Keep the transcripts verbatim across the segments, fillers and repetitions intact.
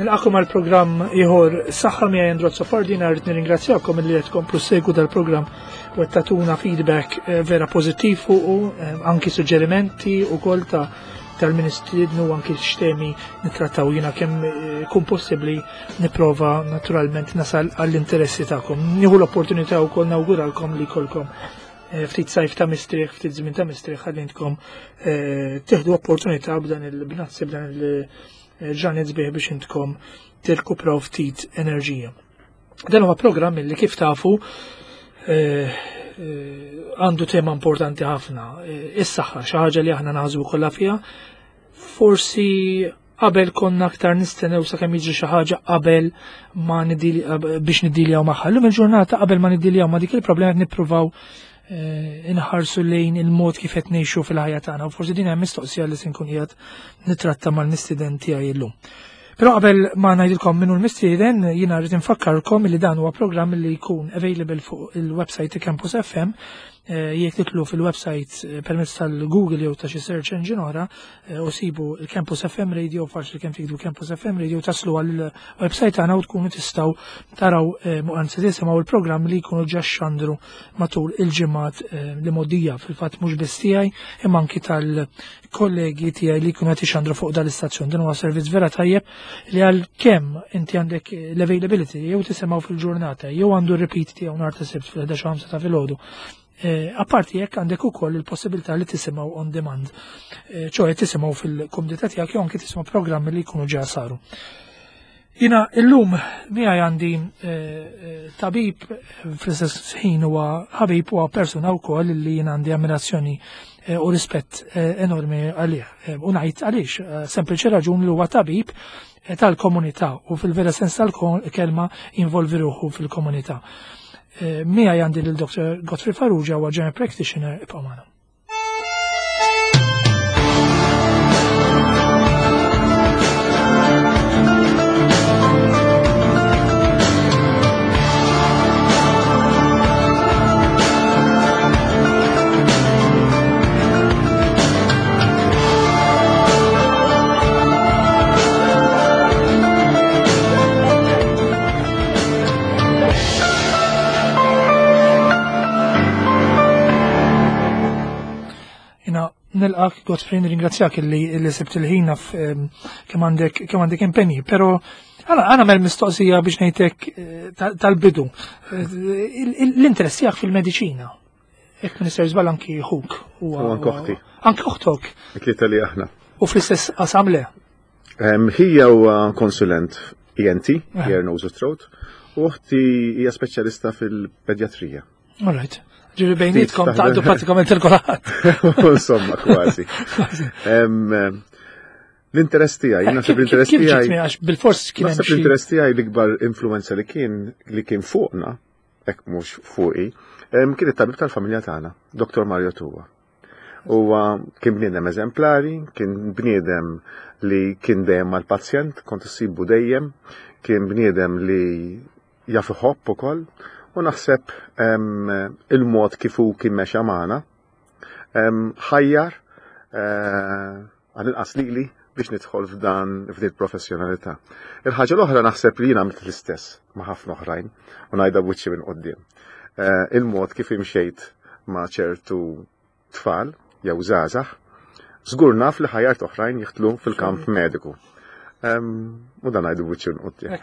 Nilqakom għal programm ieħor Saħħa miegħi Andrew Azzopardi. Rrid nirringrazzjakom li qed tkomplu ssegwu dal-programm u qed tagħtuna feedback eh, vera pożittiv fuqu, eh, anki suġġerimenti wkoll ta' tal-ministridnu, anki x'temi nittrattaw. Jiena kemm eh, kun possibbli nipprova naturalment nasal għall-interessi tagħkom. Nieħu l-opportunità wkoll nawguralkom li jkollkom ftit sajf ta' mistrieħ, ftit żmien ta' mistrieħ, ħalli intkom tieħdu opportunità b'dan il-bnazzi, b'dan il- ġranet sbieħ biex intkom tirkupraw ftit enerġija. Dan huwa programm li, kif tafu, eh, eh, għandu tema importanti ħafna, eh, is-saħħa, xi ħaġa li aħna naħsbu kollha fiha. Forsi qabel konna aktar nistennew sakemm jiġri xi ħaġa qabel ma biex niddiljaw magħha. Llum il-ġurnata, qabel ma niddiljaw ma' dik il-problema, qed nippruvaw inħarsu lejn il-mod kif qed ngħixu fil-ħajja tagħna, u forsi din hemm mistoqsija li se nkun qiegħed nitratta mal-mistieden tiegħi llum. Però qabel ma ngħidilkom minnu l-mistieden, jiena rrid infakkarkom li dan huwa programm li jkun available fuq il-website Campus F M. eh, jekk titlu fil-website eh, permezz tal-Google jew ta' xi search engine oħra eh, u sibu il-Campus F M Radio, faċli kemm tiktbu Campus F M Radio taslu għall-website tagħna u tkunu tistgħu taraw, anzi tisimgħu, il-programm li jkunu ġa xandru matul il-ġimgħat li mgħoddija, fil-fatt mhux biss tiegħi imma anki tal-kollegi tiegħi li jkunu qed ixandru fuq dal-istazzjon. Din huwa servizz vera tajjeb li għal kemm inti għandek l-availability jew tisimgħu fil-ġurnata jew għandu repeat tiegħu nhar ta' Sibt fil-ħdax ta' filgħodu. Eh, apparti jekk għandek ukoll il-possibilità li tisimgħu on demand, eh, ċoè tisimgħu fil-kumdità tiegħek jew anke tisimgħu programmi li jkunu ġa saru. Jiena illum miegħi għandi eh, tabib, fl-istess ħin huwa ħabib, huwa persuna wkoll li jiena għandi ammirazzjoni u rispett enormi għalih. U ngħid għaliex, sempliċi raġun li huwa tabib tal-komunità u fil-vera sens tal-kelma involvi ruħu fil-komunità. Eh, miegħi għandi lil Doctor Godfrey Farrugia, huwa general practitioner. Ibqgħu magħna. Nilqak, Godfrey, nirringrazzjak li li sibt il-ħin kemm għandek kemm għandek impenji, però għana għana mel mistoqsija biex ngħidlek eh, tal-bidu. Eh, l-interess tiegħek fil-mediċina. Jekk minister żball, anki ħuk. U anke oħti. Anki oħtok. Tlieta li aħna. U fl-istess qasam, le? Ħija huwa konsulent E N T, eh. Ear, Nose, Throat, u oħti hija speċjalista fil-pedjatrija. All right. Ġifieri bejnietkom taqdu pratikament il-kulħadd. Insomma, kważi. L-interess tiegħi, naħseb l-interess tiegħi. Bil-fors kien Naħseb l-interess tiegħi, l-ikbar influenza li kien li kien fuqna, hekk mhux fuqi, kien it-tabib tal-familja tagħna, Doctor Mario Tuwa. Huwa kien bniedem eżemplari, kien bniedem li kien dejjem mal-pazjent, kont issibu dejjem, kien bniedem li jaf iħobb ukoll, u naħseb il-mod kif hu kien mexa magħna ħajjar eh, għal-inqas lili biex nidħol f'dan f'din professjonalità. Il-ħaġa l-oħra, naħseb li jiena għamilt l-istess ma' ħafna oħrajn u ngħidha b'wiċċi minn quddiem. Eh, il-mod kif imxejt ma' ċertu tfal jew żgħażagħ, żgur naf li ħajjart oħrajn jidħlu fil-kamp mediku. U dan ngħidu b'wiċċi minn quddiem.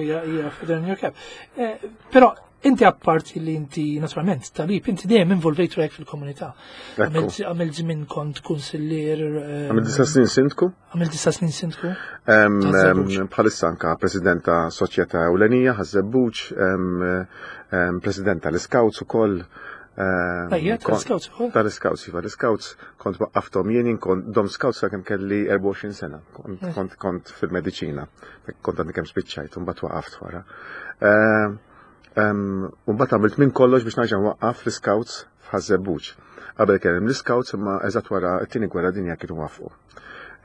Hija feather. Eh, però inti, apparti li inti naturalment tabib, inti dejjem involvejt ruħek fil-komunità. Għamilt żmien kont kunsillier. Eh, Għamilt disa' snin sindku. Għamilt disa' snin sindku. Bħalissa anka president ta' soċjetà ewlenija, Ħaż-Żebbuġ, president tal-Scouts ukoll. Tal-Scouts ukoll? Tal-Scouts, iva, l-Scouts kont waqqafthom jien, kont dom Scouts sakemm kelli erbgħa u għoxrin sena, kont kont fil-mediċina, kont għandi kemm spiċċajt, mbagħad waqaft wara. Mbagħad għamilt minn kollox biex nerġa' nwaqqaf l-Scouts f'Ħaż-Żebbuġ. Qabel kien hemm l-Scouts, imma eżatt wara t-tieni gwerra dinja kienu waqfu.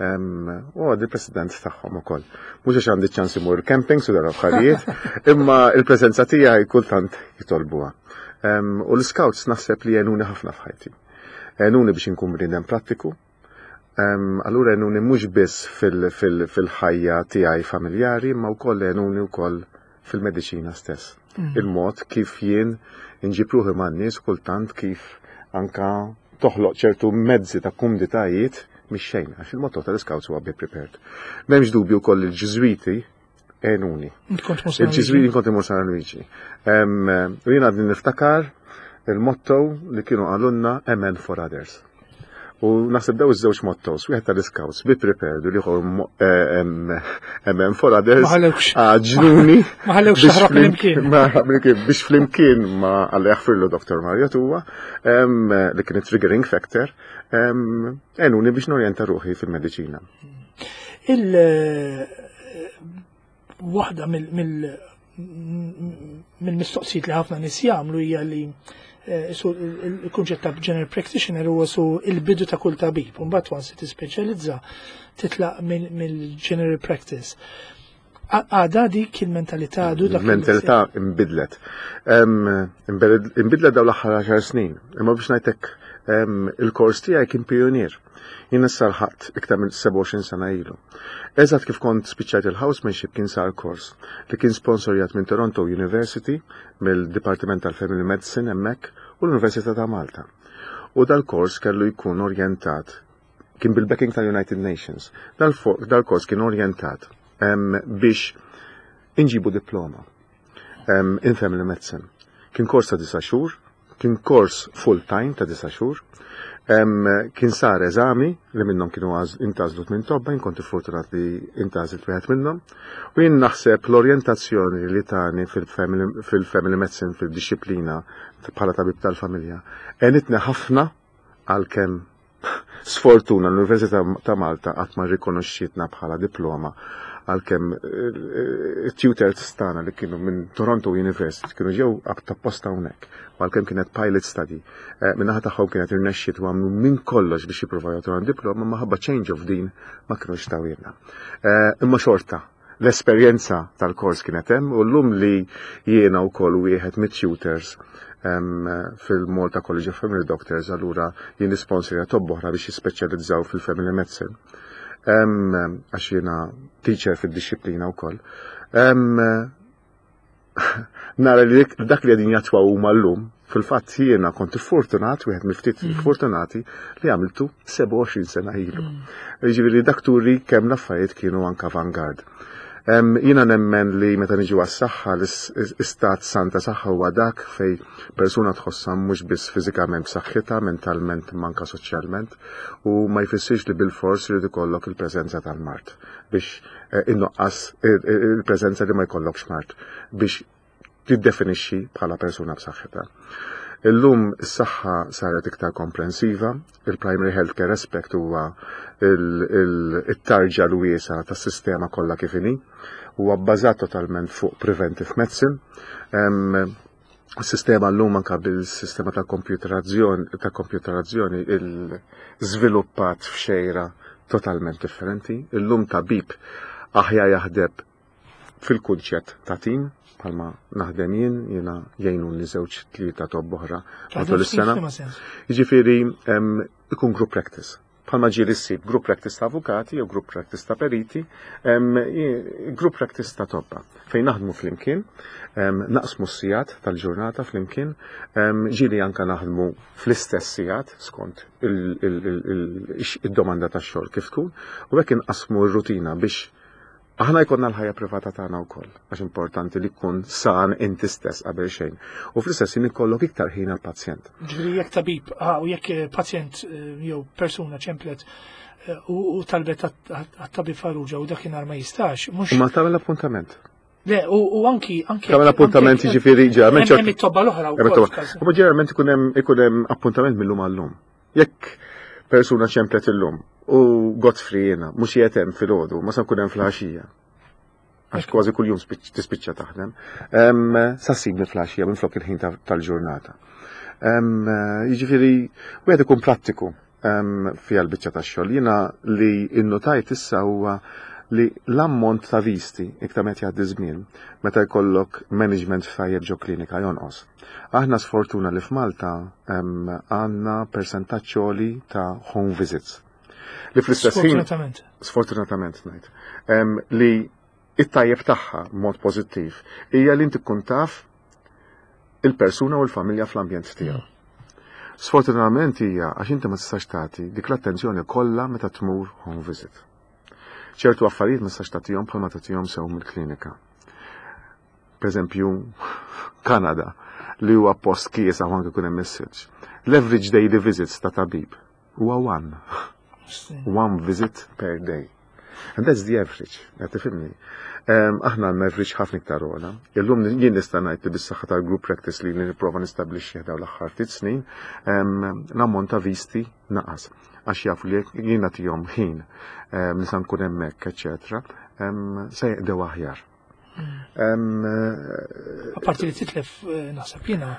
U għad il-president tagħhom ukoll. Mhux għax għandi ċans imur camping su dara affarijiet, imma il-preżenza tiegħi kultant jitolbuha. U l-Scouts naħseb li għenuni ħafna f'ħajti. Għenuni biex inkun bniedem prattiku, Allura għenuni mhux biss fil-ħajja tiegħi familjari, ma wkoll għenuni wkoll fil-mediċina stess. Mm. Il-mod kif jien inġib ruħi man-nies, kultant kif anka toħloq ċertu mezzi ta' kumditajiet mix xejn, għax il-motto tal-Scouts huwa "be prepared". M'hemmx dubju wkoll il-Ġiżwiti għenuni. Il-Ġiżwiti, kont imur San Luigi. U jien għadni niftakar il-motto li kienu qalulna, "A man for others". U naħseb daw iż-żewġ mottos, wieħed tal-Scouts, "be prepared", u l-ieħor "a man for others", għaġnuni. Ma ħallewx taħrab flimkien. Biex flimkien ma Alla jaħfirlu Doktor Mario Tuwa, li kien triggering factor, għenuni biex norjenta ruħi fil-mediċina. Il waħda mill-mistoqsijiet li ħafna nies jagħmlu hija li eh, il-kunċett ta' general practitioner huwa su il-bidu ta' kull tabib, u mbagħad once tispeċjalizza titlaq mill-general practice. Għada dik il-mentalità għadu dak? Il-mentalità imbidlet. Imbidlet daw l-aħħar għaxar snin. Imma biex ngħidlek, il-kors tiegħi kien pionier. Jien issa lħaqt iktar minn sebgħa u għoxrin sena ilu. Eżatt kif kont spiċċajt il-housemanship kien sar kors li kien sponsorjat minn Toronto University, mill-Dipartiment tal-Family Medicine hemmhekk, u l-Università ta' Malta. U dal-kors kellu jkun orjentat, kien bil-backing tal-United Nations. Dal-kors kien orjentat biex inġibu diploma in family medicine. Kien kors ta' disa' xhur, kien kors full time ta' disa' xhur, kien sar eżami li minnhom kienu intgħażlu minn tobba, jien kont fortunat li intgħażilt wieħed minnhom. U jien naħseb l-orjentazzjoni li tani fil-family medicine, fil-disciplina bħala tabib tal-familja, għenitni ħafna, għalkemm sfortuna l-Università ta' Malta qatt ma rikonoxxietna bħala diploma, għalkemm tutors tagħna li kienu minn Toronto University kienu ġew apposta hawnhekk, u għalkemm kienet pilot study, eh, min-naħa tagħhom kienet irnexxiet u għamlu minn kollox biex jippruvaw jagħtuha diploma, ma ħabba change of dean ma kienux tawhielna. Eh, imma xorta, l-esperjenza tal-kors kienet hemm, u llum li jiena wkoll wieħed mit-tutors fil-Malta College of Family Doctors, allura jien nisponsorja tobba oħra biex jispeċjalizzaw fil-family medicine, għax jiena teacher fid-disciplina wkoll. Nara li dak li qegħdin jattwaw huma llum, fil-fatt jiena kont fortunat, wieħed mill-ftit mm. fortunati li għamiltu sebgħa u għoxrin sena ilu. Mm. Ġifieri dak turi kemm l-affarijiet kienu anka vanguard. Jiena nemmen li meta niġu għas-saħħa, l-istat san ta' saħħa huwa dak fej persuna tħossha mhux biss fiżikament b'saħħitha, mentalment, manka soċjalment, u ma jfissirx li bil-fors irid ikollok il-preżenza tal-mard biex eh, innoqqas il-preżenza li ma jkollokx mard biex tiddefinixxi bħala persuna b'saħħitha. Illum is-saħħa saret iktar komprensiva, il-primary healthcare aspect huwa il-tarġa l-wiesa tas-sistema kollha kif inhi, huwa bbażat totalment fuq preventive medicine. Sistema l-lum anka bil-sistema ta' komputerazzjoni ta' komputerazzjoni il-żviluppat f'xejra totalment differenti. Illum tabib aħjar jaħdem fil-kunċett ta' tim, bħalma naħdem jien, jiena jgħinu li żewġ tlieta tobba oħra matul is-sena. Jiġifieri ikun group practice. Bħalma ġieli ssib group practice ta' avukati jew group practice ta' periti, group practice ta' tobba. Fejn naħdmu flimkien, naqsmu s-sigħat tal-ġurnata flimkien, ġieli anka naħdmu fl-istess sigħat skont il-domanda tax-xogħol kif tkun, u hekk inqasmu r-rutina biex aħna jkollna l-ħajja privata tagħna wkoll, għax importanti li tkun san inti stess qabel xejn. U fl-istess ħin ikollok iktar ħin għall-pazjent. Ġifieri jekk tabib, ah, u jekk pazjent eh, jew persuna ċemplet eh, u talbet għat-tabib Farrugia u dakinhar ma jistax, mhux. Ma tagħmel appuntament. Le, u anki anki. Tagħmel appuntament, jiġifieri ġeneralment. Hemm it-tobba l-oħra wkoll. U ġeneralment ikun hemm ikun hemm appuntament mill-lum għal-lum. Jekk persuna ċemplet illum u Godfrey jiena mhux qiegħed hemm filgħodu, ma sa nkun hemm fil-għaxija. Għax kważi kuljum tispiċċa taħdem. Sa ssibni fil-għaxija minn flok il-ħin tal-ġurnata. Jiġifieri wieħed ikun prattiku fiha l-biċċa tax-xogħol. Jiena li innotajt issa huwa li l-ammont ta' visti iktar meta jgħaddi żmien, meta jkollok management tajjeb ġo klinika, jonqos. Aħna sfortuna li f'Malta għandna persentaġġ ta' home visits. Li fl-istess ħin Sfortunatament. Sfortunatament ngħid. Em, li it-tajjeb tagħha mod pożittiv hija li inti tkun taf il-persuna u l-familja fl-ambjent tiegħu. Sfortunatament hija għax inti ma tistax tagħti dik l-attenzjoni kollha meta tmur home visit. Ċertu affarijiet ma tistax tagħtihom bħalma tagħtihom sew mill-klinika. Per eżempju, Kanada, li huwa post kiesaħ u anke kun hemm message. L-average daily visits ta' tabib huwa one. One visit per day. And that's the average, qed tifhimni. Um, aħna għandna average ħafna iktar ogħla. Illum jien nista' ngħid li bis-saħħa tal-group practice li nipprova nistabbilixxi dawn l-aħħar ftit snin, um, l-ammont ta' visti naqas. Għax jafu li jekk jien nagħtihom ħin um, nista' nkun hemmhekk, eċetera, um, se jaqdew aħjar. Um, Apparti li titlef, eh, naħseb jiena,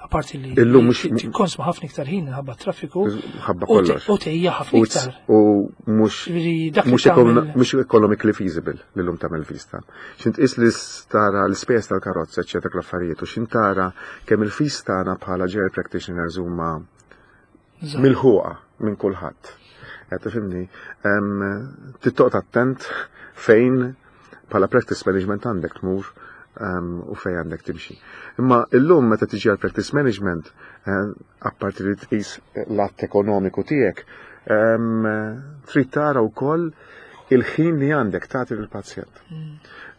apparti li Illum mhux- tikkonsma ħafna iktar ħin ħabba traffiku ħabba u te- kollox. u tgħejja ħafna U iktar. U mhux Ġifieri dak li mhux ekon- tagħmel- mhux economically feasible li llum tagħmel vista. X'int tqis li tara l-ispejjeż tal-karozza, eċetera, l-affarijiet, u x'int tara kemm il-fees tagħna bħala general practitioners huma Eżatt. milħuqa minn kulħadd. Qed tifhimni, Em, trid toqgħod attent fejn bħala practice management għandek tmur em, u fejn għandek timxi. Imma illum meta tiġi għal practice management, eh, apparti li tqis l-att ekonomiku tiegħek, em, trid tara wkoll il-ħin li għandek tagħti lill-pazjent.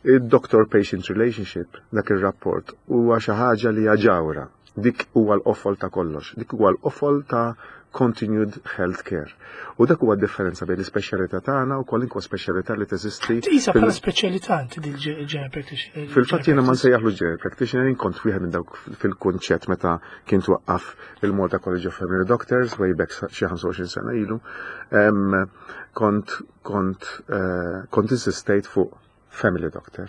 Il-doctor-patient relationship, dak il-rapport, huwa xi ħaġa li hija ġawhra. Dik huwa l-qofol ta' kollox. Dik huwa l-qofol ta' continued health care. U dak huwa d-differenza bejn l-ispeċjalità tagħna u kwalinkwa speċjalità li teżisti Tqisha fil- bħala speċjalità inti dil general practitioner. Fil-fatt jiena ma nsejjaħlu general practitioner, jien kont wieħed minn dawk fil-kunċett meta kien twaqqaf il-Malta College of Family Doctors way back xi ħamsa u għoxrin sena ilu. Em, Kont kont eh, kont insistejt fuq family doctor.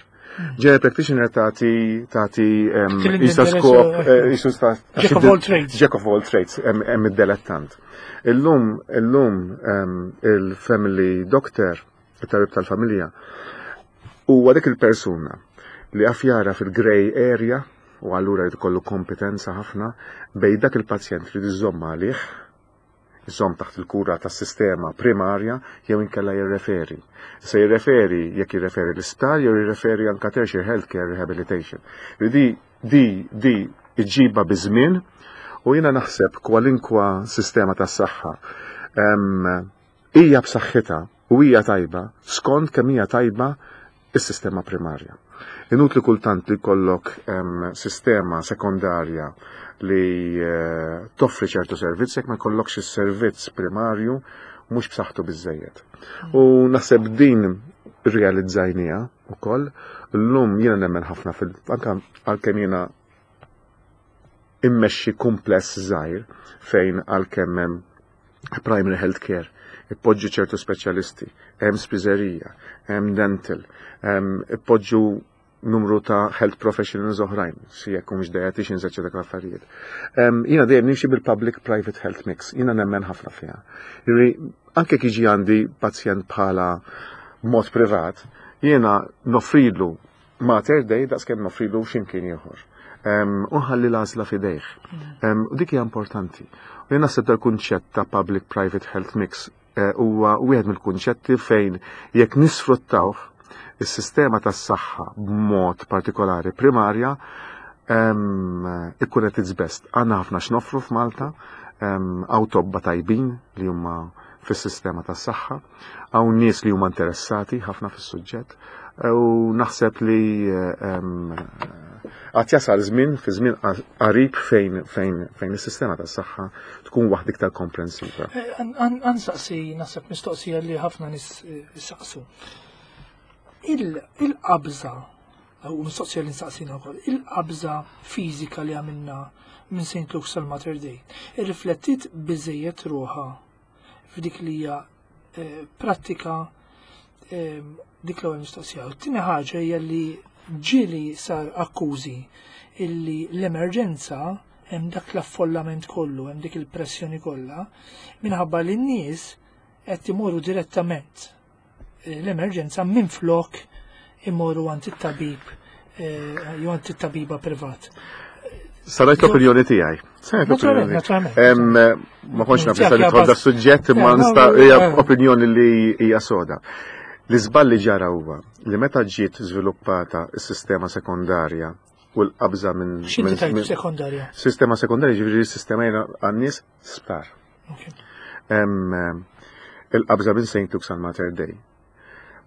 General practitioner tagħti tagħti em, Tilli jista' interess, skop eh, eh, jisu sta- Jack of all trades. Jack of all trades, hemm hemm id-delettant. Illum illum em, il-family doctor, it-tabib tal-familja, huwa dik il-persuna li għaf jara fil-grey area u allura jrid ikollu kompetenza ħafna bejn dak il-pazjent li iżomm għalih, iżomm taħt il-kura tas-sistema primarja jew inkella jirreferi. Se jirreferi jekk jirreferi l-isptar jew jirreferi anka tertiary healthcare rehabilitation. Di di di iġiba biż-żmien u jiena naħseb kwalinkwa sistema tas-saħħa em, hija b'saħħitha u hija tajba skont kemm hija tajba is-sistema primarja. Inutli kultant li kollok em, sistema sekondarja li eh, toffri ċertu servizz jekk ma jkollokx is-servizz primarju mhux b'saħħtu biżejjed. U naħseb din realizzajnieha ukoll. Llum jiena nemmen ħafna fil anka għalkemm jiena immexxi kumpless żgħir fejn għalkemm hemm primary health care, ippoġġu ċertu speċjalisti, hemm spiżerija, hemm dental, hemm ippoġġu numru ta' health professionals oħrajn, si jekk mhux dietitians, eċetera, l affarijiet. Em, Jiena dejjem nimxi bil-public private health mix, jiena nemmen ħafna fiha. Jiġifieri, anke jiġi għandi pazjent bħala mod privat, jiena noffrilu Mater Dei daqskemm noffrilu x'imkien ieħor. Em, U nħalli l-għażla f'idejh. Em, U dik hija importanti. U jien naħseb dal-kunċett ta' public-private health mix eh, huwa wieħed mill-kunċetti fejn jekk nisfruttawh is-sistema tas-saħħa b'mod partikolari primarja em, ikun at its best. Għandna ħafna x'noffru f'Malta, em, hawn tobba tajbin li huma fis-sistema tas-saħħa, hawn nies li huma interessati ħafna fis-suġġett, u naħseb li em, għad jasal żmien fi żmien qarib fejn fejn fejn is-sistema tas-saħħa tkun waħda iktar komprensiva. Ħa nsaqsi, naħseb mistoqsija li ħafna nies eh, saqsu. Il-qabża, u mistoqsija li nsaqsina wkoll, il-qabża fiżika li għamilna minn Saint Luke's għal Mater Dei, irriflettit biżejjed ruħha f'dik li hija eh, prattika eh, dik l-ewwel mistoqsija. U t-tieni ħaġa hija li ġieli sar akkużi illi l-emerġenza hemm dak l-affollament kollu, hemm dik il-pressjoni kollha, minħabba li n-nies qed imorru direttament eh, l-emerġenza minn flok imorru għand it-tabib eh, jew għand it-tabiba privat. Saret l-opinjoni tiegħi. Naturalment, naturalment. Ma kontx naf li nidħol da suġġett, imma nista' hija opinjoni li hija soda. L-iżball li ġara huwa li meta ġiet żviluppata s-sistema sekondarja u l-qabża minn. X'inti sekondarja? Sistema sekondarja ġifieri s-sistema għan-nies sptar. Il-qabża minn Saint Luke's għal Mater Dei.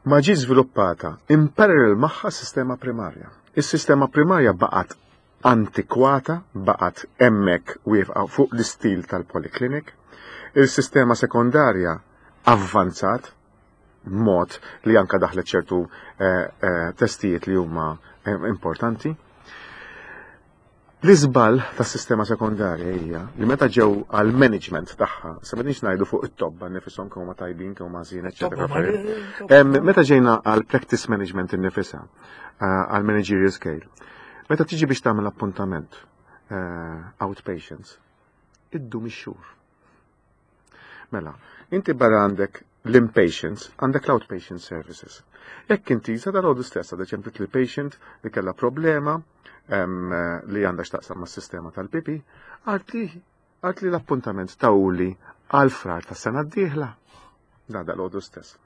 Ma ġiet żviluppata in parallel magħha sistema primarja. Is-sistema primarja baqgħet antikwata, baqgħet hemmhekk wieqfa fuq l-istil tal-polyclinic. Il-sistema sekondarja avvanzat mod li anka daħlet ċertu eh, eh, testijiet li huma eh, importanti. L-iżball tas-sistema sekondarja hija li meta ġew għal management tagħha, sa m'għedniex ngħidu fuq it-tobba nifisom kemm huma tajbin, kemm huma ħażin, eċetera. Meta ġejna għal practice management innifisha, għal managerial scale, meta tiġi biex tagħmel appuntament outpatients, iddum ix-xhur. Mela, inti barra għandek l-inpatients, għandek l-outpatient services. Jekk inti sa dal stess għadha ċemplit l-patient li kellha problema li għandha x'taqsam mas-sistema tal-pipi, għart li l-appuntament tawli għal Frar ta' sena d-dieħla. Da dal stess.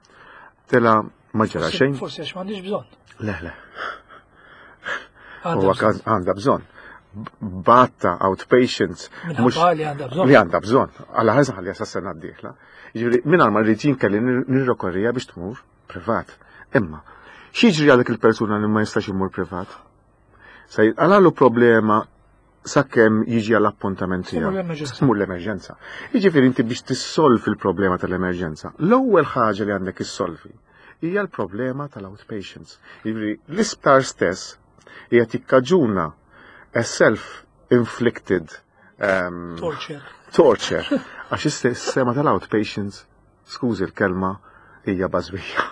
Tela ma ġara xejn. Forsi għax m'għandix bżonn. Le, le. Huwa għandha bżonn. Batta outpatients. Mhux li għandha bżonn. Li għandha bżonn. Għalla ħarsa ħalli sa sena d-dieħla. Jiġifieri mingħajr ma rrid kelli nirrokorrija biex tmur privat. Imma, x'jiġri għal dik il-persuna li ma jistax imur privat? Sa jitqalalu problema sakemm jiġi għall-appuntament tiegħu. Tmur l-emerġenza. Jiġifieri inti biex tissolvi l-problema tal-emerġenza. L-ewwel ħaġa li għandek issolvi hija l-problema tal-outpatients. Jiġifieri l-isptar stess hija tikkaġuna a self-inflicted um, torture. Torture. Għax is-sistema tal-outpatients, skużi l-kelma, hija bażwija,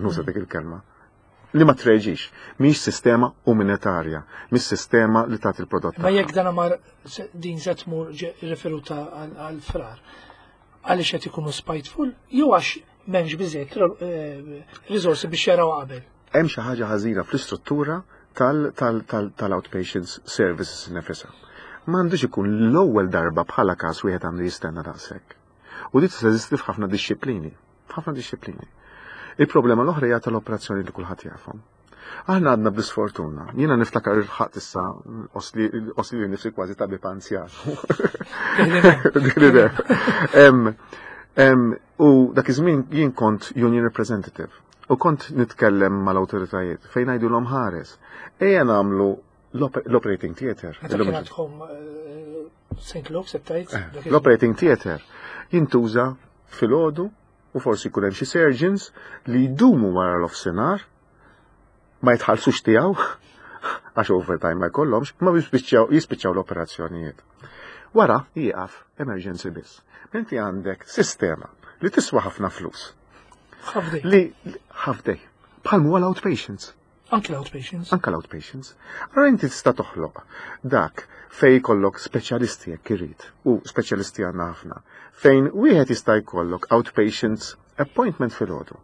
nuża dik il-kelma li ma treġix, mhix sistema umanitarja, mhix sistema li tagħti il-prodott. Ma jekk dan mar din se tmur referuta għal Frar, għaliex qed ikunu spiteful jew għax m'hemmx biżejjed eh, riżorsi biex jaraw qabel? Hemm xi ħaġa ħażina fl-istruttura tal-outpatients services nefisha. M'għandux ikun l-ewwel darba bħala każ wieħed għandu jistenna daqshekk. U di teżisti f'ħafna dixxiplini, f'ħafna dixxiplini. Il-problema l-oħra hija tal-operazzjoni li kulħadd jafhom. Aħna għadna bl-isfortuna. Jiena niftakar il-ħadd issa osli li nifsi kważi tabib anzjan. U dak iż-żmien jien kont union representative u kont nitkellem mal-awtoritajiet fejn ngħidulhom ħares. Ejja nagħmlu l-operating theater. Saint Luke's tajt? L-operating theater jintuża filgħodu u forsi jkun hemm xi surgeons li jdumu wara l-offsenar ma jitħallsux tiegħu għax overtime ma jkollhomx, ma jispiċċaw l-operazzjonijiet. Wara jieqaf emergency biss. Inti għandek sistema li tiswa ħafna flus. Li half day. Bħal huwa l-outpatients. Anke l-outpatients. Anke l-outpatients. Allora inti tista' toħloq dak fej jkollok speċjalisti jekk irid u speċjalisti għandna ħafna. Fejn wieħed jista' jkollok outpatients appointment filgħodu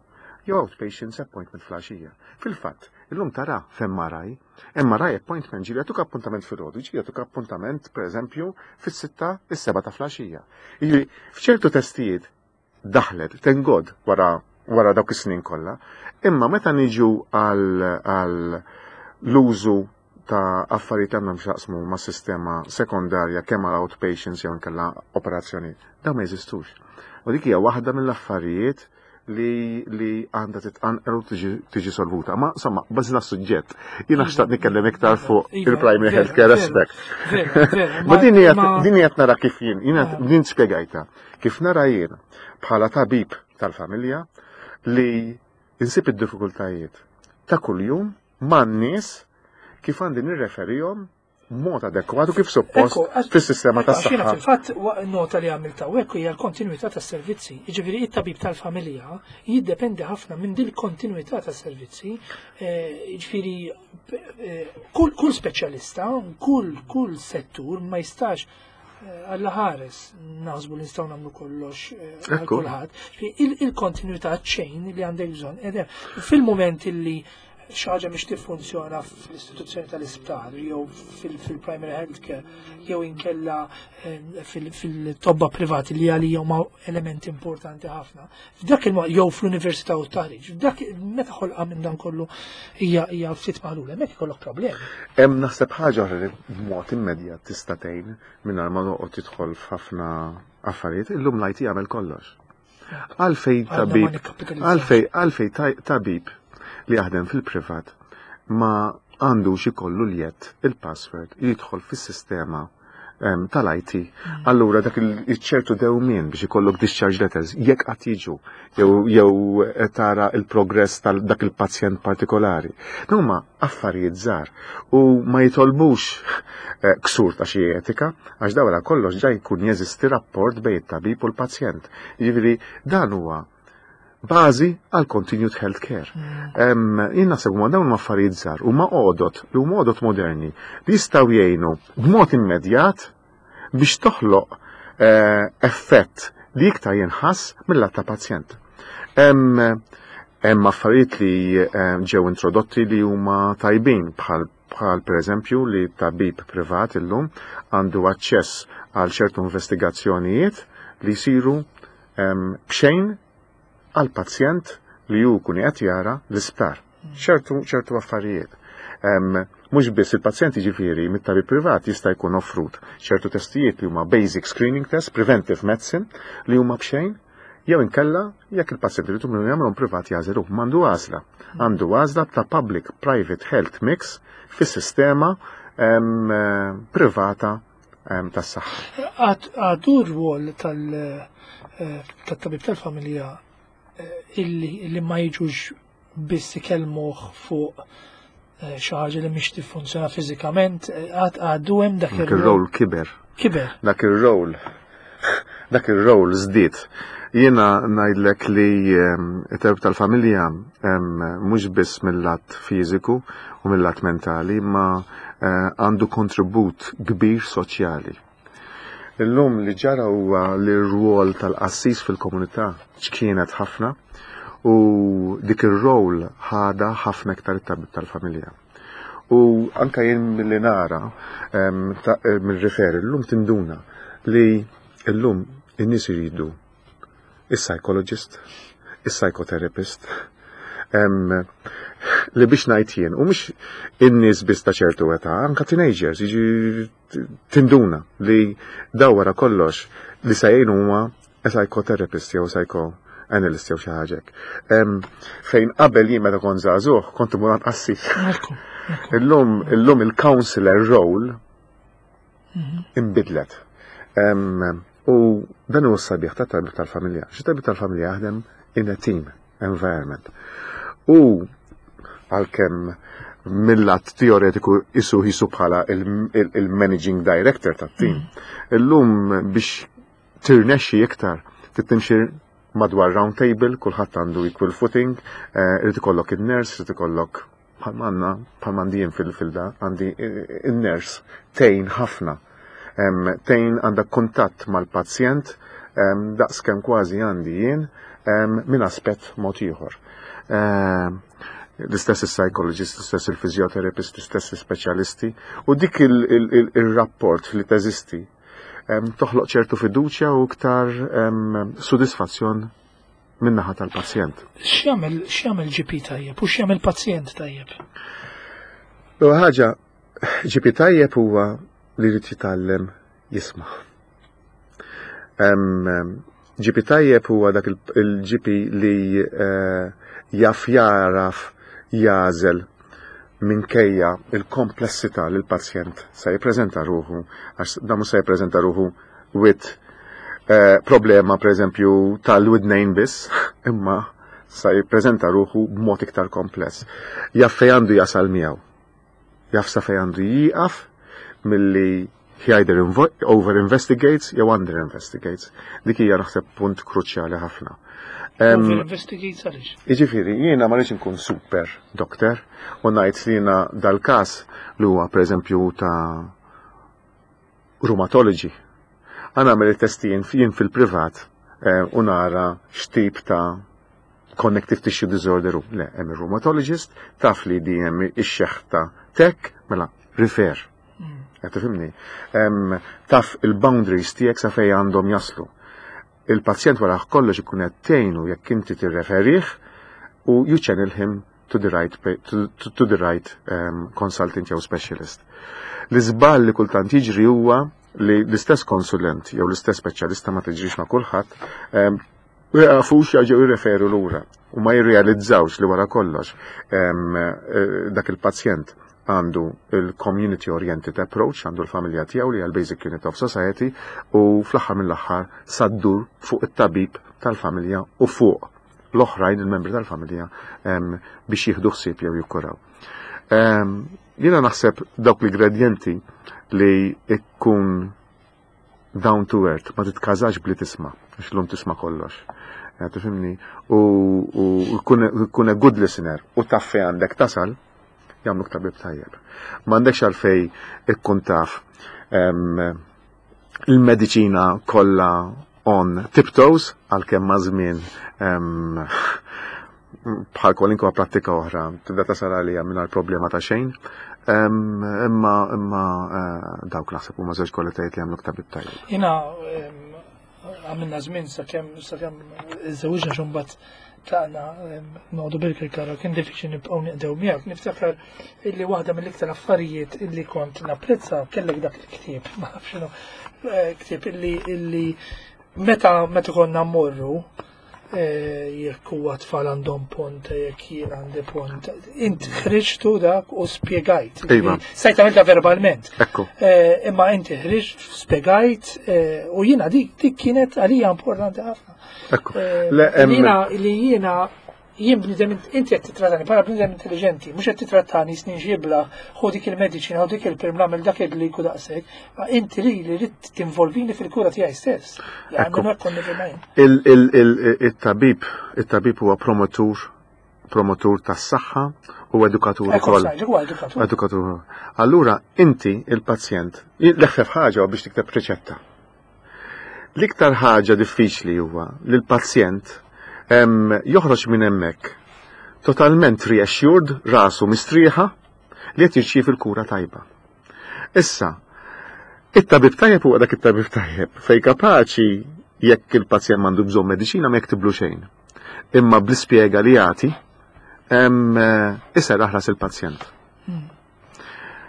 jew outpatients appointment filgħaxija. Fil-fatt, illum tara f'M R I, M R I appointment ġieli jagħtuk appuntament filgħodu, ġieli jagħtuk appuntament pereżempju fis-sitta, is-seba' ta' filgħaxija. Jiġifieri f'ċertu testijiet daħlet, thank God, wara wara dawk is-snin kollha. Imma meta niġu għal l-użu ta' affarijiet għandhom x'jaqsmu ma' sistema sekondarja kemm għal outpatients jew inkella operazzjoni, dawn ma jeżistux. U dik hija waħda mill-affarijiet li li għandha titqanqer u tiġi solvuta. Ma insomma, bażina suġġett. Jiena xtaqt nitkellem iktar fuq Iva, il-primary healthcare aspect. Ma din hija nara kif jien, jiena Ah. din spjegajta. Kif nara jien bħala tabib tal-familja li insib id-diffikultajiet ta' kuljum man-nies kif għandi nirreferihom mod adekwatu kif suppost fis-sistema tas-saħħa. Fil-fatt nota li għamilt hawnhekk hija l-kontinuità tas-servizzi. Jiġifieri it-tabib tal-familja jiddependi ħafna minn din il-kontinuità tas-servizzi. Eh, jiġifieri eh, kull kull speċjalista, kull kull settur ma jistax eh, Alla ħares naħsbu li nistgħu nagħmlu kollox għal kulħadd. Il-kontinuità chain li għandek bżonn. Fil-moment illi Xi ħaġa mhix tiffunzjona fl-istituzzjoni tal-isptar jew fil-primary health care jew inkella eh, fil-tobba privati, li għalija huma elementi importanti ħafna. F'dak il jew fl-università u t-taħriġ, f'dak meta ħolqa minn dan kollu hija hija ftit maħlula, hemmhekk ikollok problemi. Hemm naħseb ħaġa oħra li b'mod immedjat tista' tgħin mingħajr ma noqgħod tidħol f'ħafna affarijiet, illum l-I T jagħmel kollox. Għalfej tabib, għalfej għalfej tabib li jaħdem fil-privat ma għandux ikollu l-jett il-password jidħol fis-sistema tal-I T. Mm. Allura dak il-ċertu dewmien biex ikollok discharge letters, jekk qatt jiġu, jew tara il-progress tal dak il-pazjent partikolari. Huma affarijiet żgħar u ma jitolbux eh, ksur ta' xi etika, għax dawra kollox ġa jkun jeżisti rapport bejn it-tabib u l-pazjent. Jiġifieri dan huwa bażi għal continued health care. Mm. Jien naħseb huma dawn affarijiet żgħar huma għodot li huma għodot moderni li jistgħu jgħinu b'mod immedjat biex toħloq eh, effett li iktar jinħass mill-lat ta' pazjent. Hemm affarijiet li ġew introdotti li huma tajbin, bħal bħal per eżempju li tabib privat illum għandu aċċess għal ċertu investigazzjonijiet li jsiru b'xejn għal pazjent li ju kun qed jara l-isptar. ċertu ċertu affarijiet. Mhux biss il-pazjent, ġifieri mit-tabib privat jista' jkun offrut ċertu testijiet li huma basic screening test, preventive medicine, li huma b'xejn, jew inkella jekk il-pazjent irid jagħmlhom privat jagħżlu, m'għandu għażla. Għandu għażla ta' public private health mix fis-sistema privata tas-saħħa. Għadu r-rwol tal-tabib tal-familja illi ma jiġux biss ikellmuh fuq eh, xi ħaġa li mhix tiffunzjona fiżikament, eh, għad għadu hemm dak Dak ir-rol kiber. Kiber. Dak ir-rol. Dak ir-rol żdied. Jiena ngħidlek li it-tabib tal-familja mhux biss mill-lat fiżiku u mill-lat mentali, ma eh, għandu kontribut kbir soċjali. Illum li ġara huwa li r-rwol tal-qassis fil-komunità ċkienet ħafna u dik ir-rol ħada ħafna iktar it-tabib tal-familja. U anka jien milli nara mill-referi llum tinduna li llum in-nies iridu is-psychologist, is-psychotherapist, li biex ngħid jien, u mhux in-nies biss ta' ċertu età, anka teenagers, jiġi tinduna li daw wara kollox li se jgħinu huma psychotherapist jew psychoanalyst jew xi ħaġa. Fejn qabel jien meta kont żagħżugħ kont imur għand qassis. Illum illum il-counselor role mhm. imbidlet. U dan huwa s-sabiħ ta' tabib tal-familja. Xi tabib tal-familja jaħdem in a team environment. U għalkemm mill-lat teoretiku isu jisu bħala il-managing director tat-team. Mm. Illum biex tirnexxi iktar, tittimxi madwar round table, kulħadd għandu equal footing, eh, irid ikollok il-nurse, irid ikollok bħalma għandna, bħalma għandi jien fil-filda, għandi il-nurse tgħin ħafna. Tgħin għandha kuntatt mal-pazjent daqs kemm kważi għandi jien minn aspett mod ieħor. L-istess il-psychologist, l-istess il-physiotherapist, l-istess il-speċjalisti, u dik il-rapport li teżisti toħloq ċertu fiduċja u iktar sodisfazzjon min-naħa tal-pazjent. X'jagħmel x'jagħmel G P tajjeb u x'jagħmel pazjent tajjeb? L ħaġa, G P tajjeb huwa li jrid jitgħallem jisma'. G P tajjeb huwa dak il-G P li eh, jaf jaraf jagħżel minkejja il-komplessità li l-pazjent se jippreżenta ruħu, għax dan mhux se jippreżenta ruħu with eh, problema per eżempju tal-widnejn biss, imma se jippreżenta ruħu b'mod iktar kompless. Jaf fejn għandu jasal miegħu. Jaf sa fejn għandu jieqaf milli he either over investigates jew under investigates. Dik hija naħseb punt kruċjali ħafna. Over investigates għaliex? Jiġifieri, jiena ma rridx inkun super doctor u ngħid li jiena dal-każ li huwa pereżempju ta' rheumatology. Għana nagħmel it-testi jien fil-privat eh, u nara x'tip ta' connective tissue disorder u le, hemm il-rheumatologist, taf li di hemm ix-xeħta tek, mela refer. Qed tifhimni? Em, Taf il-boundaries tiegħek sa fejn għandhom jaslu. Il-pazjent wara kollox ikun qed tgħinu jekk inti tirreferih u you channel him to the right, pa- to, to, to the right um, consultant jew specialist. L-iżball li kultant jiġri huwa li l-istess konsulent jew l-istess speċjalista, ma tiġrix ma' kulħadd, um, jafux jaġew jirreferu lura u ma jirrealizzawx li wara kollox em, eh, dak il-pazjent għandu il-community oriented approach, għandu l-familja tiegħu li għal basic unit of society u fl-aħħar mill-aħħar sa ddur fuq it-tabib tal-familja u fuq l-oħrajn il-membri tal-familja em, biex jieħdu ħsieb jew jikkuraw. Em, Jiena naħseb dawk l-ingredienti li ikkun down to earth, ma titkażax bli tisma', għax l-lum tisma' kollox. Ja, tifhimni? U u jkun a good listener u taf fejn għandek tasal, jagħmluk tabib tajjeb. M'għandekx għalfej ikkun taf em, il-mediċina kollha on tiptoes, għalkemm ma' żmien em, bħal kwalinkwa prattika oħra, tibda tasal għalija mingħajr problema ta' xejn. Em, Imma imma eh, dawk naħseb huma żewġ kwalitajiet li jagħmluk tabib tajjeb. Jiena em, għamilna żmien sakemm sakemm iżżewġna xumbat tlaqna em, noqogħdu Birkirkara, kien diffiċli nibqgħu niqdew miegħek. Niftakar illi waħda mill-iktar affarijiet illi kont napprezza, kellek dak il-ktieb, ma nafx x'inhu, eh, ktieb illi illi meta meta konna mmorru, eh, jekk huwa tfal għandhom pont, jekk jien għandi pont, int ħriġtu dak u spjegajt. Iva. Stajt għamilta verbalment. Ekku. Eh, imma inti ħriġt, spjegajt, eh, u jiena dik dik kienet għalija importanti ħafna. Ekku. Eh, Le, em, Jiena li jiena jien bniedem, inti qed titrattani bħala bniedem intelligenti, mhux qed titrattani snin ġibla, ħu dik il-mediċina, ħu dik il-pirm, nagħmel dak il-gliku daqshekk, ma inti li li rrid tinvolvini fil-kura tiegħi stess. Ekku. Għandu konni fil Il- il- il- Il-tabib, il-tabib huwa promotur, promotur tas-saħħa u edukatur Ekku, ukoll. sajġ, huwa edukatur. Edukatur. Allura, inti, il-pazjent, l-eħfef ħaġa huwa biex tikteb riċetta. L-iktar ħaġa diffiċli huwa li l-pazjent em, joħroġ minn hemmhekk totalment reassured, rasu mistrieħa li qed jirċievi l-kura tajba. Issa, it-tabib tajjeb huwa dak it-tabib tajjeb fej kapaċi jekk il-pazjent m'għandu bżonn mediċina ma jektiblu xejn. Imma bl-ispjega li jagħti em, eh, iserraħ ras il-pazjent.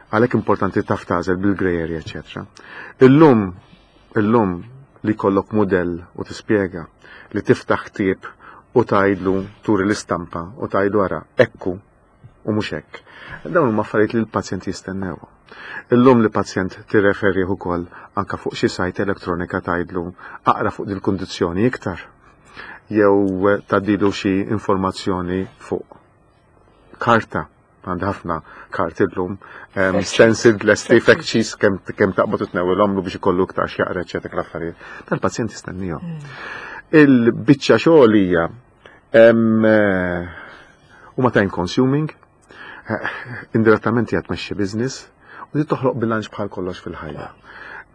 Għalhekk importanti taf tagħżel bil-grey area, eccetera. Illum, illum li kollok modell u tispjega, li tiftaħ ktieb u tgħidlu, turi l-istampa u tgħidlu ara, ekku u mhux hekk. Dawn huma affarijiet li l-pazjent jistennew. Illum li pazjent tirreferi ukoll anka fuq xi sajt elettronika, tgħidlu aqra fuq dil-kundizzjoni iktar jew tgħaddilu xi informazzjoni fuq karta, għandi ħafna karti llum, um, stenciled, lesti, fact sheets, kemm kemm taqbad u tnewwilhomlu biex ikollu iktar x'jaqra, eċetera, l-affarijiet. Tal-pazjent jistennihom. Il-biċċa xogħol hija em, eh, huma time consuming, eh, indirettament hija tmexxi business u di toħloq bilanċ bħal kollox fil-ħajja.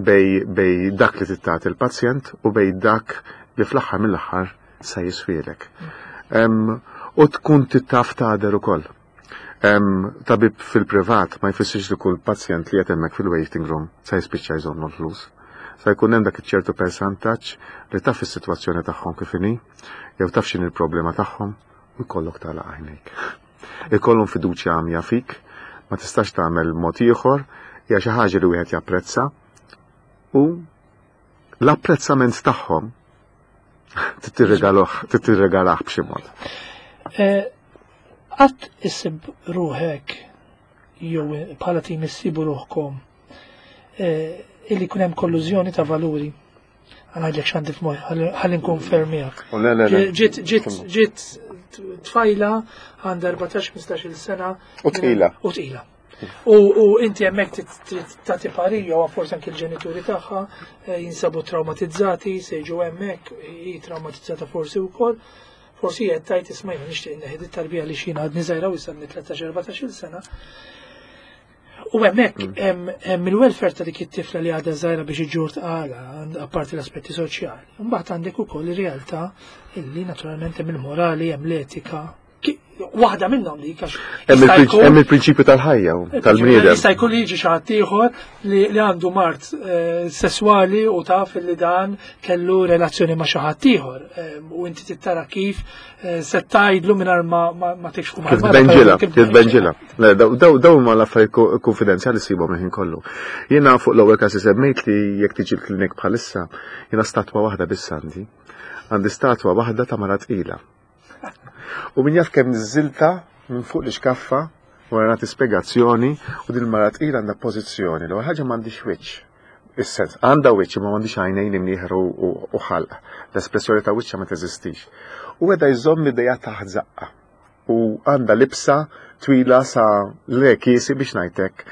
Bej, bej dak li tagħti il-pazjent u bej dak li fl-aħħar mill-aħħar sa jiswielek. Em, U tkun taf tagħder ukoll. Em, Tabib fil-privat ma jfissirx li kull pazjent li qed hemmhekk fil-waiting room sa jispiċċa jżommu l-flus. Sa jkun hemm dak iċ-ċertu percentaġġ li taf is-sitwazzjoni tagħhom kif inhi, jew taf x'inhi l-problema tagħhom u jkollok tagħlaq għajnejk. Ikollhom fiduċja għamja fik, ma tistax tagħmel mod ieħor, hija xi ħaġa li wieħed japprezza u l-apprezzament tagħhom tirregaluh, tirregalah b'xi mod. Eh, Qatt issib ruħek jew bħala tim issibu ruħkom eh, illi kun hemm kollużjoni ta' valuri? Għanajdlek x'għandi f'moħħi, ħalli nkun fermijak. U le, le, le. Ġiet ġiet ġiet tfajla għandha erbatax ħmistax-il sena. U tqila. U tqila. U, u inti hemmhekk trid- trid tagħti parija u forsi anke l-ġenituri tagħha eh, jinsabu traumatizzati, se jiġu hemmhekk, hi traumatizzata forsi wkoll. Forsi qed tgħid, "Isma', jiena nixtieq inneħi it-tarbija li xina għadni żgħira u issa tlettax erbatax-il sena." U hemmhekk hemm il-welfare ta' dik it-tifla li għadha żgħira biex iġġur tqala, apparti l-aspetti soċjali. Mbagħad għandek ukoll ir-realtà illi naturalment hemm il-morali, hemm l-etika. Waħda minnhom dik għax Hemm il-prinċipju tal-ħajja tal-bniedem. Jista' jkun li jiġi xi ħadd ieħor li għandu mard sesswali u taf li dan kellu relazzjoni ma' xi ħadd ieħor. U inti tittara kif se tgħidlu mingħajr ma tikxfu Kif tbenġilha, kif tbenġilha. Daw huma l-affarijiet konfidenzjali ssibhom il-ħin kollu. Jiena fuq l-ewwel każ semmejt li jekk tiġi l-klinik bħalissa, jiena statwa waħda biss għandi. Għandi statwa waħda ta' mara tqila. U min jaf kemm niżżilta minn fuq l-iskaffa wara nagħti spjegazzjoni u din il-mara tqila għandha pożizzjoni. L-ewwel ħaġa m'għandix wiċċ. Is-sens, għandha wiċċ imma m'għandix għajnejn imnieħer u ħalq. L-espressjoni ta' wiċċha ma teżistix. U qiegħda jżomm idejha taħt żaqqa. U għandha libsa twila sa le kiesi biex ngħidlek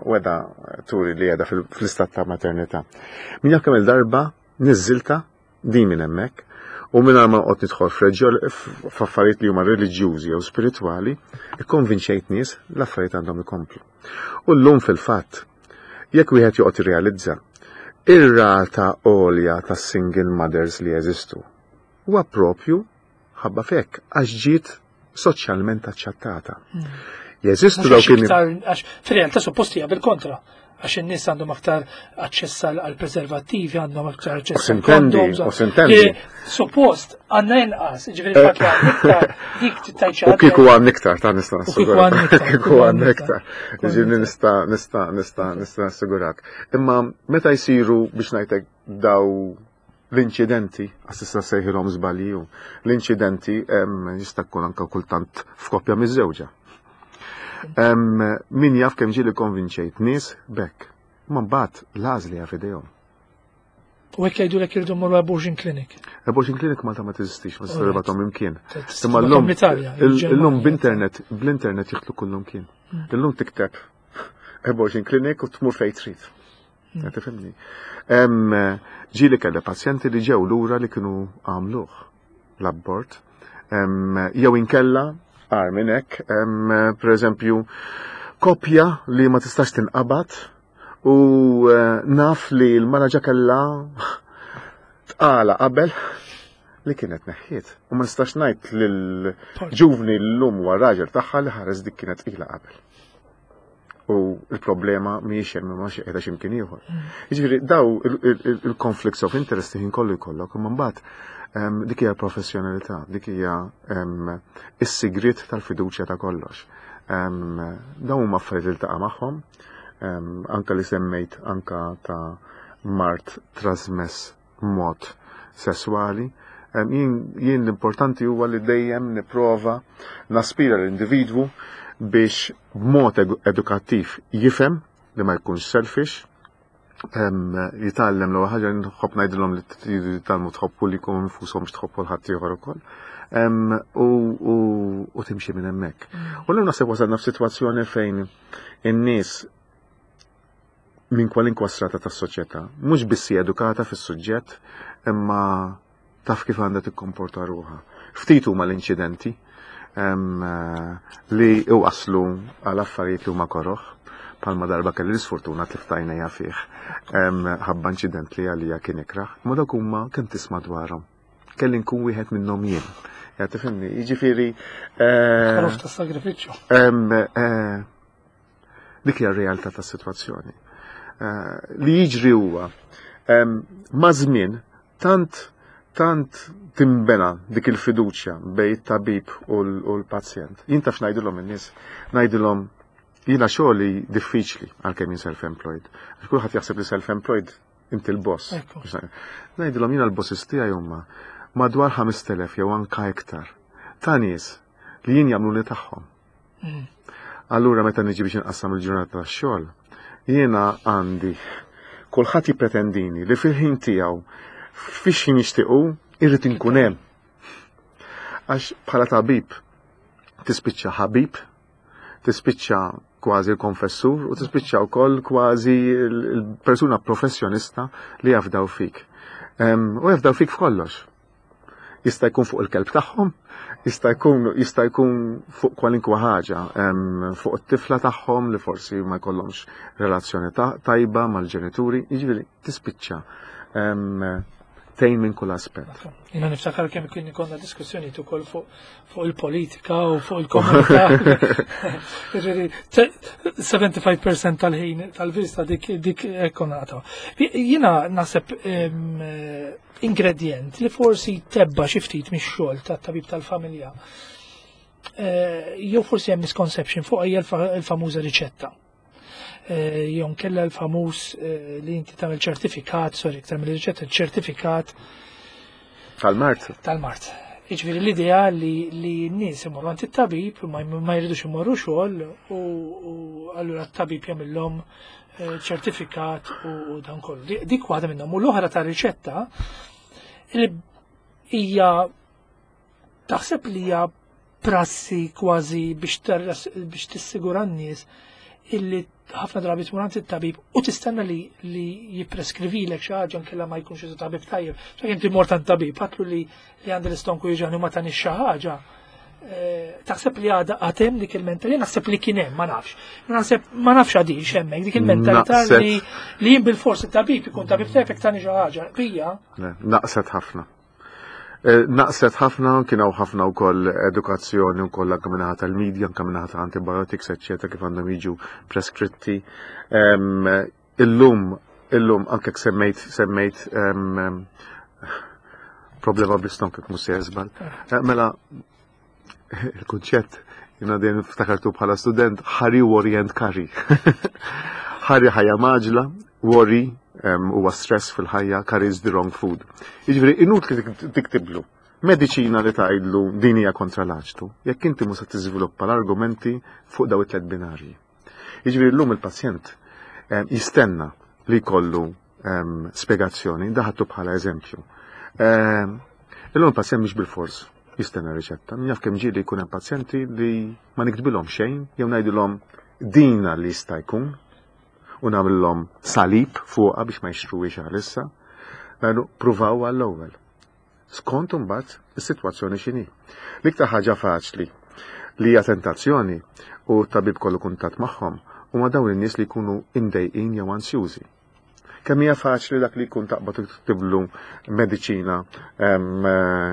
u qiegħda turi li qiegħda fl-istat ta' maternità. Min jaf kemm il-darba niżżilta din minn hemmhekk. U minn ma noqgħod nidħol f'affarijiet li huma reliġjużi jew spiritwali, ikkonvinċejt nies l-affarijiet għandhom ikomplu. U llum fil-fatt, jekk wieħed joqgħod irrealizza, ir-rata għolja ta' single mothers li jeżistu huwa propju ħabba fek għax ġiet soċjalment aċċettata. Jeżistu dawk għax fir-realtà suppost hija bil-kontra. Għax in-nies għandhom aktar aċċess għal preservattivi, għandhom aktar aċċess għal condoms. U sintendi. Suppost għandna inqas, ġifieri fatt li għandna iktar dik tittajċa. U kieku għandna iktar, ta' nista' nassigurak. Kieku għandna iktar. Ġifieri nista' nista' nista' nista' nassigurak. Imma meta jsiru biex ngħidlek daw l-inċidenti, għax issa sejħilhom żbalji, l-inċidenti jista' jkun anke kultant f'koppja miż-żewġa. Min jaf kemm ġieli konvinċejt nies bekk. Ma mbagħad l-għażli hija f'idejhom. U hekk jgħidulek irridu mmorru abortion clinic. Abortion clinic Malta ma teżistix, ma tista' tibgħathom imkien. Imma llum illum b'internet, bl-internet jidħlu kullum kien. Illum tikteb abortion clinic u tmur fejn trid. Tifhimni. Ġieli kelli pazjenti li ġew lura li kienu għamluh l-abort. Jew inkella għar minn hekk, per eżempju, koppja li ma tistax tinqabad u naf li l-mara ġa kellha tqala qabel li kienet neħħiet. U ma nistax ngħid lill-ġuvni llum huwa raġel tagħha li ħares dik kienet tqila qabel. U l-problema mhijiex hemm imma xi qiegħda x'imkien ieħor. Jiġifieri daw il-conflicts of interest ħin kollu jkollok, imma mbagħad dik hija professjonalità, dik hija is-sigriet tal-fiduċja ta' kollox. Dawn huma affarijiet li ltaqa' magħhom, anka li semmejt anka ta' mard trasmess mod sesswali. Jien l-importanti huwa li dejjem nipprova naspira l-individwu biex b'mod edukattiv jifhem li ma jkunx selfish, jitgħallem l-ewwel ħaġa nħobb ngħidilhom li tridu jitgħallmu tħobbu li jkunu nfushom biex tħobbu l-ħadd ieħor ukoll. U timxi minn hemmhekk. U llum naħseb wasalna f'sitwazzjoni fejn in-nies minn kwalinkwa strata tas-soċjetà, mhux biss hija edukata fis-suġġett, imma taf kif għandha tikkomporta ruħha. Ftit huma l-inċidenti li waslu għal affarijiet li huma koroħ. Palma darba kelli l-sfortuna tlift għajnejja fih. Ħabba inċident li għalija kien ikraħ. Ma dawk huma kemm tisma' dwarhom. Kelli nkun wieħed minnhom jien. Ja tifhimni, jiġifieri. Ħaruf ta' sagrifiċċju. Dik hija r-realtà tas-sitwazzjoni. Li jiġri huwa ma' żmien tant tant timbena dik il-fiduċja bejn it-tabib u l-pazjent. Jien taf ngħidilhom in-nies, ngħidilhom jiena xogħli diffiċli għalkemm jien self-employed. Għax kulħadd jaħseb li self-employed inti l-boss. Ngħidilhom jiena l-bosses tiegħi huma madwar ħamest elef jew anka iktar ta' nies li jien jagħmluni tagħhom. Allura meta niġi biex inqassam il-ġurnata tax-xogħol, jiena għandi kulħadd jippretendini li fil-ħin tiegħu fiex jien nixtiequ irrid inkun hemm. Għax bħala tabib tispiċċa ħabib, tispiċċa kważi l-konfessur u tispiċċa wkoll kważi l-persuna professjonista li jafdaw fik. U jafdaw fik f'kollox. Jista' jkun fuq il-kelb tagħhom, jista' jkun jista' jkun fuq kwalinkwa ħaġa, fuq it-tifla tagħhom li forsi ma jkollhomx relazzjoni tajba mal-ġenituri, jiġifieri tispiċċa tgħin minn kull aspett. Jiena niftakar kemm kien ikollna diskussjoni ukoll fuq fuq il-politika u fuq il-komunità. Jiġifieri sebgħa u sebgħin fil-mija tal-ħin tal-vista dik dik ekkonata. Jiena naħseb ingredient li forsi tebba' xi ftit mix-xogħol tat-tabib tal-familja. Eh, jew forsi hemm misconception fuq hija l-famuża riċetta. Eh, jew kella l-famuż eh, li inti tagħmel ċertifikat, sorry, iktar mill-riċetta, ċertifikat tal-mard. Tal-mard. Jiġifieri l-idea li li n-nies imorru għand it-tabib ma ma jridux imorru xogħol u u allura t-tabib jagħmilhom eh, ċertifikat u dan kollu. Dik waħda minnhom. U l-oħra ta' riċetta li hija taħseb li hija prassi kważi biex biex tissigura n-nies illi ħafna drabi tmur għand it-tabib u tistenna li li jippreskrivilek xi ħaġa nkella ma jkunx isu tabib tajjeb. Dak inti mort għand tabib, għedtlu li li għandi l-istonku jiġani ma tani xi ħaġa. Eh, taħseb li għadha għatem dik il-mentalità, naħseb li kien hemm, ma nafx. Naħseb ma nafx għadix hemmhekk dik il-mentalità li li jien bil-fors it-tabib ikun tabib tajjeb tani xi ħaġa. Bija. Naqset ħafna. Eh, naqset ħafna, kien hawn ħafna wkoll edukazzjoni wkoll anke minnaħa tal-media, anke minnaħa ta' antibiotics, eċċetera, kif għandhom jiġu preskritti. Illum, illum anke semmejt semmejt problema bl-istonk mhux se żball. Eh, mela il-kunċett jiena dejjem ftakartu bħala student hurry, worry and curry. Hurry ħajja mgħaġġla, worry huwa stress fil-ħajja, curry is the wrong food. Jiġifieri inutli tiktiblu mediċina li tgħidlu din hija kontra l-aċtu, jekk inti mhux se tiżviluppa l-argumenti fuq daw it-tliet binarji. Jiġifieri llum il-pazjent jistenna li jkollu spjegazzjoni, daħattu bħala eżempju. Illum il-pazjent mhux bil-fors jistenna riċetta. Jaf kemm ġieli jkun hemm pazjenti li ma niktbilhom xejn, jew ngħidilhom dina li jista' jkun u nagħmilhom salib fuqha biex ma jixtruhiex għalissa. Ngħidu pruvaw għall-ewwel. Skont imbagħad is-sitwazzjoni x'inhi. L-iktar ħaġa faċli li hija tentazzjoni u t-tabib kollu kuntatt magħhom huma dawn in-nies li jkunu imdejqin jew ansjużi. Kemm hija faċli dak li jkun taqbad tiktiblu mediċina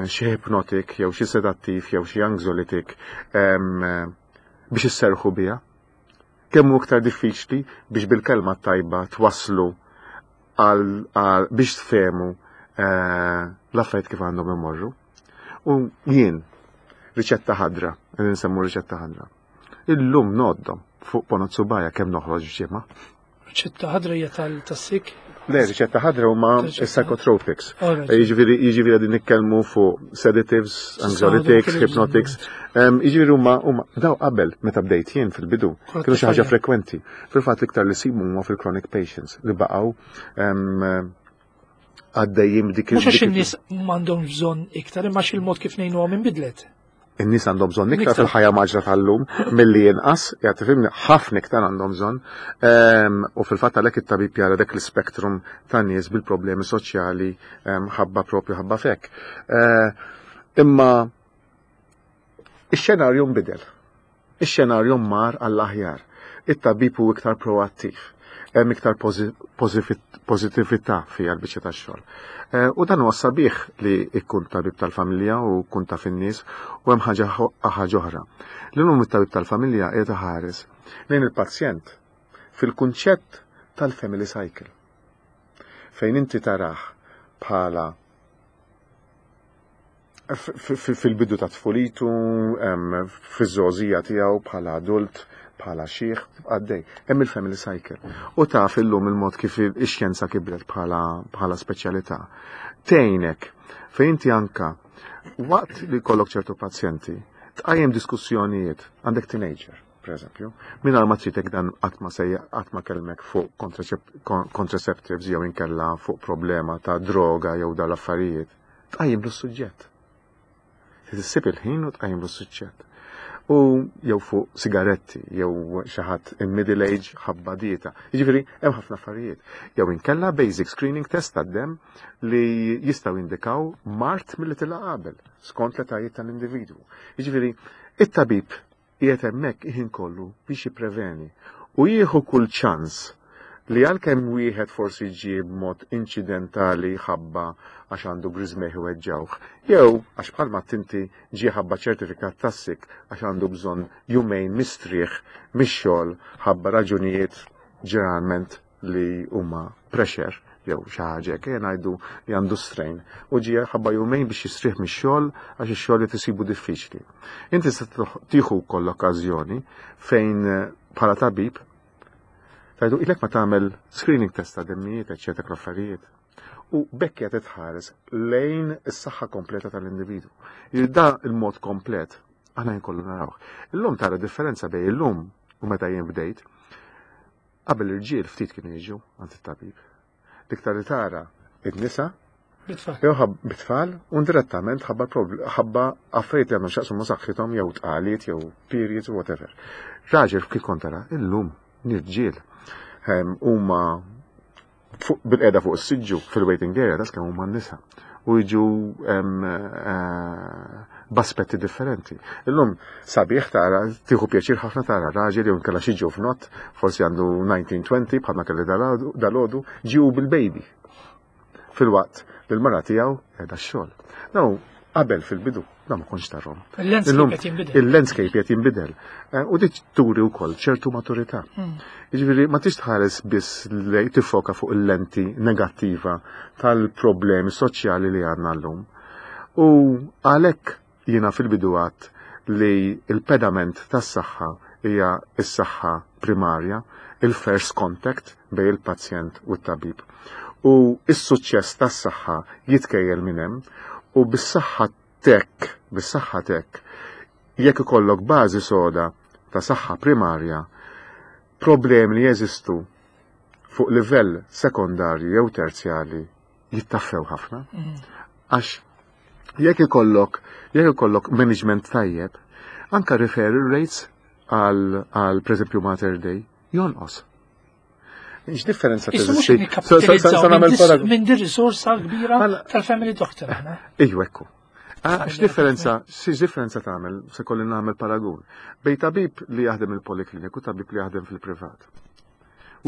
xi hypnotic jew xi sedattiv jew xi anxiolytic biex isserħu biha. Kemm hu iktar diffiċli biex bil-kelma tajba twaslu għal biex tfehmu eh, l-affarijiet kif għandhom imorru. U jien riċetta ħadra, nsemmu riċetta ħadra. Illum noddhom fuq ponot subgħajja kemm noħroġ ġimgħa. Riċetta ħadra hija tal-sik? Le, riċetta ħadra huma psychotropics. Jiġifieri jiġifieri qegħdin nitkellmu fuq sedatives, anxiolytics, hypnotics. Jiġifieri huma huma daw qabel meta bdejt jien fil-bidu kienu xi ħaġa frekwenti. Fil-fatt l-iktar li sibu huma fil-chronic patients li baqgħu għaddejjin dik. Mhux għax in-nies m'għandhomx bżonn iktar, imma il-mod kif ngħinuhom inbidlet. In-nies għandhom bżonn iktar fil-ħajja mgħaġġla tal-lum milli inqas, jgħid tifhimni, ħafna iktar għandhom bżonn. Ehm, u fil-fatt għalhekk it-tabib jara dak l-spektrum ta' nies bil-problemi soċjali ehm, ħabba propju ħabba fek. Eh, imma ix-xenarju nbidel. Ix-xenarju mar għall-aħjar. It-tabib hu iktar proattiv. Hemm iktar pożittività fiha l-biċċa tax-xogħol. Eh, u dan huwa sabiħ li jkun tabib tal-familja u kun taf in-nies u hemm ħaġa ħaġa oħra. L-lum it-tabib tal-familja qiegħed iħares lejn il-pazjent fil-kunċett tal-family cycle. Fejn inti tarah bħala fil-bidu ta' tfulitu, fiż-żgħożija tiegħu bħala adult, bħala xiħ, għaddej. Hemm il-family cycle. U taf illum il-mod kif ix-xjenza kibret bħala bħala speċjalità. Tgħinek fejn inti anka waqt li jkollok ċertu pazjenti, tqajjem diskussjonijiet għandek teenager, per eżempju, mingħajr ma tridek dan qatt ma sejja qatt ma kellmek fuq contraceptives jew inkella fuq problema ta' droga jew dal-affarijiet, tqajjem l-suġġett. Tissib il-ħin u tqajjem l-suġġett. U jew fuq sigaretti, jew xi ħadd in middle age ħabba dieta. Jiġifieri hemm ħafna affarijiet. Jew inkella basic screening test tad-dem li jistgħu jindikaw mard milli tilha qabel skont l-etajiet tal-individwu. Jiġifieri it-tabib qiegħed hemmhekk il-ħin kollu biex jippreveni u jieħu kull ċans li għalkemm wieħed forsi ġie b'mod inċidentali ħabba għax għandu griżmejh iweġġgħuh, jew għax bħalma tinti ġie ħabba ċertifikat tas-sick għax għandu bżonn jumejn mistrieħ mix-xogħol ħabba raġunijiet ġeneralment li huma pressure jew xi ħaġa hekk, ejja ngħidu li għandu strain u ġie ħabba jumejn biex jistrieħ mix-xogħol għax ix-xogħol qed isibu diffiċli. Inti se tieħu wkoll l-okkażjoni fejn eh, bħala tabib tgħidu ilek ma tagħmel screening test ta' demmijiet, eċetera, l-affarijiet. U b'hekk qed tħares lejn is-saħħa kompleta tal-individwu. Da il-mod komplet aħna nkollu narawh. Illum tara differenza bejn illum u meta jien bdejt. Qabel irġiel ftit kienu jiġu għand it-tabib. L-iktar li tara id-nisa Bitfall. jew ħab bit-tfal u direttament ħabba prob- ħabba affarijiet li għandhom x'jaqsmu ma' saħħithom jew tqaliet jew periods u whatever. Raġel kif kont tara illum nirġiel ehm, huma fuq- bil-qeda fuq is-siġġu fil-waiting area tas kemm huma n-nisa u jiġu ehm, eh, b'aspetti differenti. Illum sabiħ tara, tieħu pjaċir ħafna tara raġel jew inkella xi ġuvnott, forsi għandu tnax għoxrin bħalma kelli dalgħodu, ġew bil-baby. Fil-waqt li l-mara tiegħu qiegħda x-xogħol. Now, qabel fil-bidu, da ma kontx tarahom. Il-landscape Illum, qed jinbidel. Il-landscape qed jinbidel. Eh, U dik turi wkoll ċertu maturità. Hmm. Jiġifieri ma tix tħares biss li tiffoka fuq il-lenti negattiva tal-problemi soċjali li għandna llum. U għalhekk jiena fil-bidu għedt li il-pedament tas-saħħa hija s-saħħa primarja, il-first contact bejn il-pazjent u t-tabib. U is-suċċess tas-saħħa jitkejjel minn hemm u bis-saħħa tek, bis-saħħa tek, jekk ikollok bażi soda ta' saħħa primarja, problemi li jeżistu fuq livell sekondarju jew terzjali jittaffew ħafna. Għax jekk ikollok jekk ikollok management tajjeb, anka referral rates għal għal pereżempju Mater Dei jonqos. X'differenza Issa mhux teżisti? nikkapitalizzaw minn dis- paragun. minn din risorsa kbira Mela- tal-family doctor aħna. Ejju ekku. Ah, X'differenza, x'differenza tagħmel se kolli nagħmel paragun bejn tabib li jaħdem il-poliklinik u tabib li jaħdem fil-privat?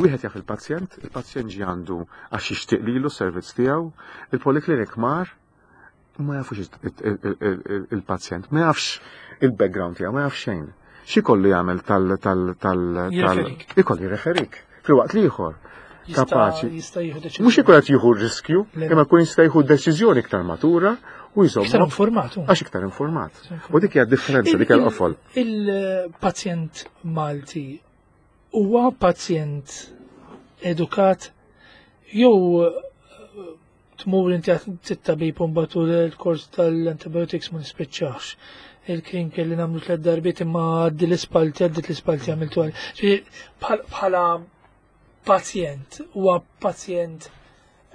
Wieħed jaf il-pazjent, il-pazjent ġi għandu għax jixtieq lilu s-servizz tiegħu, il-poliklinik mar ma jafux il-pazjent, ma jafx il-background tiegħu, ma jafx xejn. X'ikollu jagħmel tal tal tal tal Jirreferik. Ikollu jirreferik. Filwaqt li ieħor Jista' kapaċi jista' jieħu deċiżjoni. Mhux ikun qed jieħu r-riskju, Le. imma jkun jista' jieħu deċiżjoni iktar matura u Iktar jżomm informat. hu. għax iktar informat. U dik hija differenza, dik hija l-qofol. Il-pazjent Malti huwa pazjent edukat jew eh, tmur inti t-tabib u mbagħad l-kors tal-antibiotics ma nispiċċax. Il-kien kelli nagħmlu tliet darbiet imma għaddi l-ispalti, għaddit l-ispalti għamiltu għal. Ġifieri, bħal- Bħala pazjent, huwa pazjent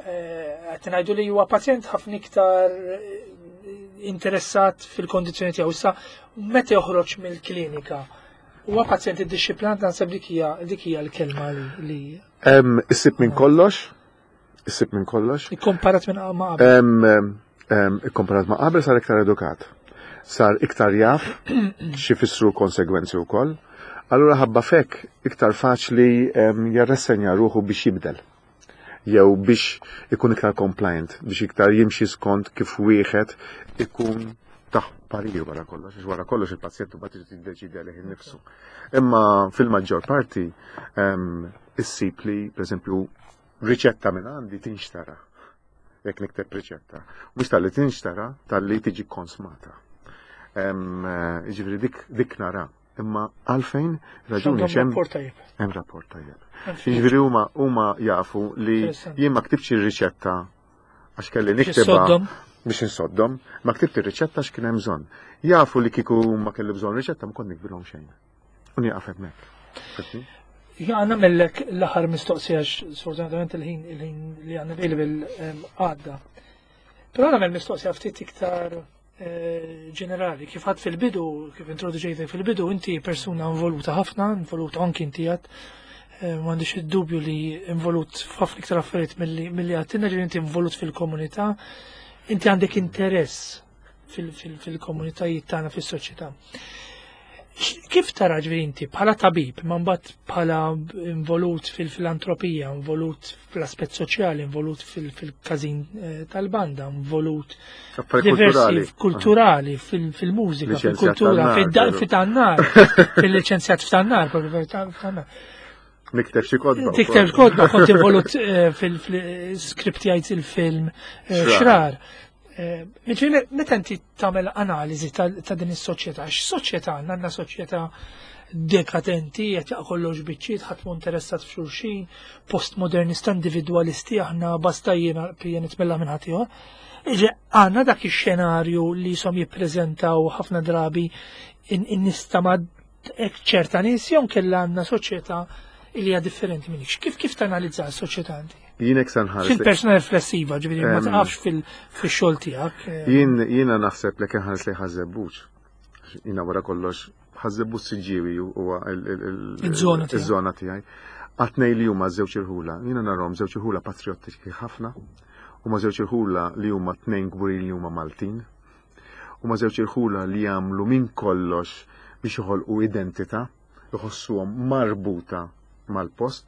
eh, qed ngħidu li huwa pazjent ħafna iktar eh, interessat fil-kondizzjoni tiegħu. Issa meta joħroġ mill-klinika, huwa pazjent iddixxiplinat, naħseb dik hija dik hija l-kelma li li Em, Issib minn kollox, issib minn kollox. ikkomparat minn ma qabel. Em, em, em, Ikkomparat ma' qabel sar iktar edukat. Sar iktar jaf x'ifissru konsegwenzi wkoll. Allura ħabba fek iktar faċli em, jarressenja ruħu biex jibdel. Jew biex ikun iktar compliant, biex iktar jimxi skont kif wieħed ikun taħ parir wara kollox, għax wara kollox il-pazjent imbagħad irid jiddeċidi għalih innifsu. Imma fil-maġġor parti em, issib li, pereżempju, riċetta minn għandi tinxtara. Jekk nikteb riċetta. Mhux talli tinxtara, talli tiġi konsmata. Em, eh, Jiġifieri dik dik nara. Imma għalfejn raġuni Għandhom xem rapport tajjeb. hemm rapport tajjeb. Jiġifieri huma huma jafu li Interessanti. jien ma ktibx ir-riċetta għax kelli Biex niktibha issoddhom. biex insoddhom, ma ktibt ir-riċetta għax kien hemm bżonn. Jafu li kieku ma kelli bżonn riċetta ma kont nikbilhom xejn. U nieqaf hemmhekk. Fhimtni? Ja, nagħmellek l-aħħar mistoqsija għax sfortunatament il-ħin il-ħin li għandna available em, għadda. Però nagħmel mistoqsija ftit iktar eh, ġenerali. Kif għedt fil-bidu, kif introduċejtek fil-bidu, inti persuna involuta ħafna, involuta anki inti għedt, eh, m'għandix id-dubju li involut f'ħafna iktar affarijiet milli milli għedtilna, ġifieri inti involut fil-komunità, inti għandek interess fil-komunitajiet tagħna, fis-soċjetà. Kif tara, ġifieri inti bħala tabib, ma mbagħad bħala involut fil-filantropija, involut fl-aspett soċjali, involut fil-każin eh, tal-banda, involut diversi kulturali, fil-mużika, fil-kultura, fil-tannar, fil-liċenzjat f'tannar, f'tannar. Nikteb xi kotba. Tikteb kotba, kont involut eh, fil-skriptjajt il-film eh, Xrar. Ġifieri, meta inti tagħmel analiżi ta' din is-soċjetà, x'soċjetà għandna? Għandna soċjetà dekadenti, qed jaqa' kollox biċċiet, ħadd mhu interessat f'xulxin, postmodernista, individwalisti, aħna basta jiena pija nitmella minn ħadd ieħor. Iġe għandna dak ix-xenarju li jisom jippreżentaw ħafna drabi in-nies ta' ma' ċerta nies, jew kellha għandna soċjetà li hija differenti minnik. Kif kif tanalizza s-soċjetà inti? Jien hekk sanħares. Fil-persuna riflessiva, ġifieri ma taqafx fil-xogħol tiegħek. Eh. Jien jiena naħseb li kien ħares li Ħaż-Żebbuġ. Jiena wara kollox Ħaż-Żebbuġ, Siġġiewi huwa iż-żona tiegħi. Għat-tnejn li huma żewġ irħula. Jiena narhom żewġ irħula patriottiċi ħafna. Huma żewġ irħula li huma tnejn kburin li huma Maltin. Huma żewġ irħula li jagħmlu minn kollox biex joħolqu identità, jħossuhom marbuta mal-post.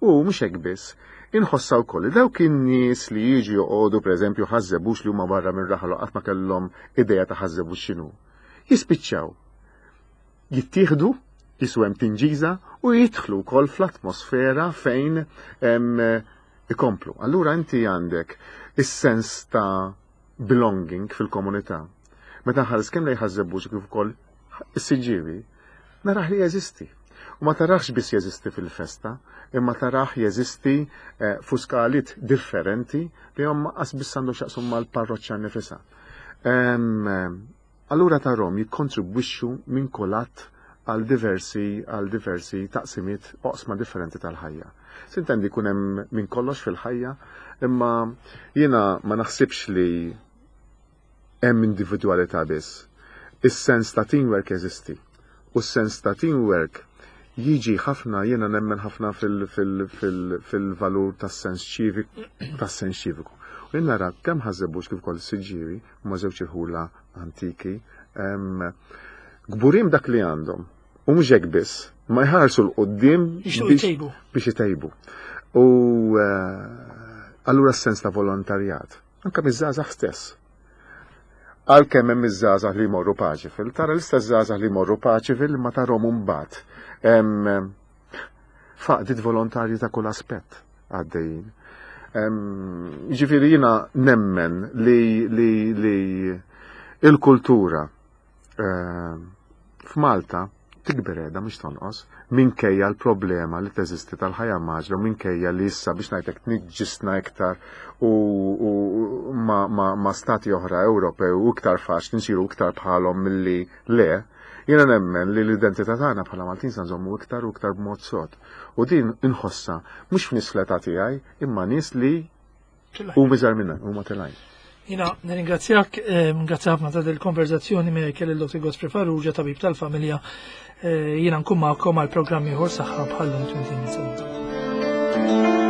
U mhux hekk biss, inħossa wkoll li dawk in-nies li jiġu joqogħdu, pereżempju, Ħaż-Żebbuġ, li huma barra minn raħal, qatt ma kellhom idea ta' Ħaż-Żebbuġ x'inhu. Jispiċċaw jittieħdu jisu hemm tinġiża u jidħlu wkoll fl-atmosfera fejn ikomplu. Allura inti għandek is-sens ta' belonging fil-komunità. Meta nħares kemm lejn Ħaż-Żebbuġ kif ukoll is-Siġġiewi, naraħ li jeżisti. U ma tarax biss jeżisti fil-festa, imma taraħ jeżisti eh, fuq skalit differenti li hom qas biss għandu x'jaqsum mal-parroċċa nifisha. Allura tarahom jikkontribwixxu minn kolat għal diversi għal diversi taqsimiet, oqsma differenti tal-ħajja. Sintendi jkun hemm minn kollox fil-ħajja, imma jiena ma naħsibx li hemm individwalità biss. Is-sens ta' teamwork jeżisti. U s-sens ta' teamwork jiġi ħafna, jiena nemmen ħafna fil-valur tas-sens ċiviku, tas-sens ċiviku. U jien nara kemm Ħaż-Żebbuġ kif ukoll Siġġiewi huma żewġ irħula antiki, kburin dak li għandhom. U mhux hekk biss, ma jħarsu 'l quddiem biex itejbu. U eh, allura s-sens ta' volontarjat, anka miż-żgħażagħ stess. Għalkemm hemm iż-żgħażagħ li jmorru Paceville, tara l-istess żgħażagħ li jmorru Paceville ma tarhom mbagħad f'għaqdiet volontarji ta' kull aspett għaddejjin. Ġifieri jiena nemmen li, li, li il-kultura f'Malta tikber edha mhux tonqos, minkejja l-problema li teżisti tal-ħajja mgħaġġla u minkejja li issa, biex ngħidlek, tniġġisna iktar u, u ma, ma, ma stati oħra Ewropew u iktar faċli nsiru iktar bħalhom milli le, jiena nemmen li l-identità tagħna bħala Maltin sa nżommu iktar u iktar b'mod sod. U din inħossa mhux f'nies fl-età tiegħi, imma nies li huma iżgħar minna, huma telgħin. Jiena nirringrazzjak, eh, ngrazzja ħafna ta' dil-konverzazzjoni me kelli l-Dottor Godfrey Farrugia, tabib tal-familja. Eh, jiena nkun magħkom għal programm ieħor Saħħa bħal-lum tmintin sena.